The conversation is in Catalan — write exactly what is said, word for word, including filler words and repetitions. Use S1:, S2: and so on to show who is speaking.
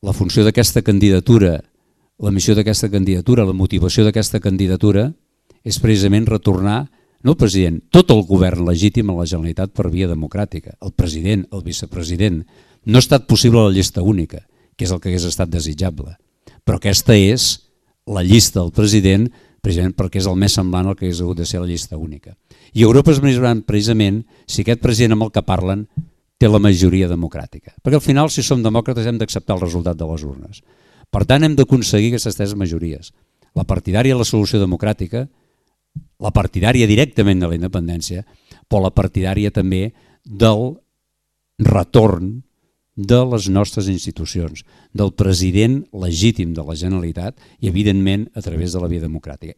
S1: la funció d'aquesta candidatura, la missió d'aquesta candidatura, la motivació d'aquesta candidatura és precisament retornar, no el president, tot el govern legítim a la Generalitat per via democràtica, el president, el vicepresident. No ha estat possible la llista única, que és el que hagués estat desitjable, però aquesta és la llista del president precisament perquè és el més semblant al que hagués hagut de ser la llista única. I Europa es miraran precisament si aquest president amb el que parlen té la majoria democràtica. Perquè al final, si som demòcrates, hem d'acceptar el resultat de les urnes. Per tant, hem d'aconseguir aquestes tres majories. La partidària de la solució democràtica, la partidària directament de la independència, però la partidària també del retorn de les nostres institucions, del president legítim de la Generalitat i, evidentment, a través de la via democràtica.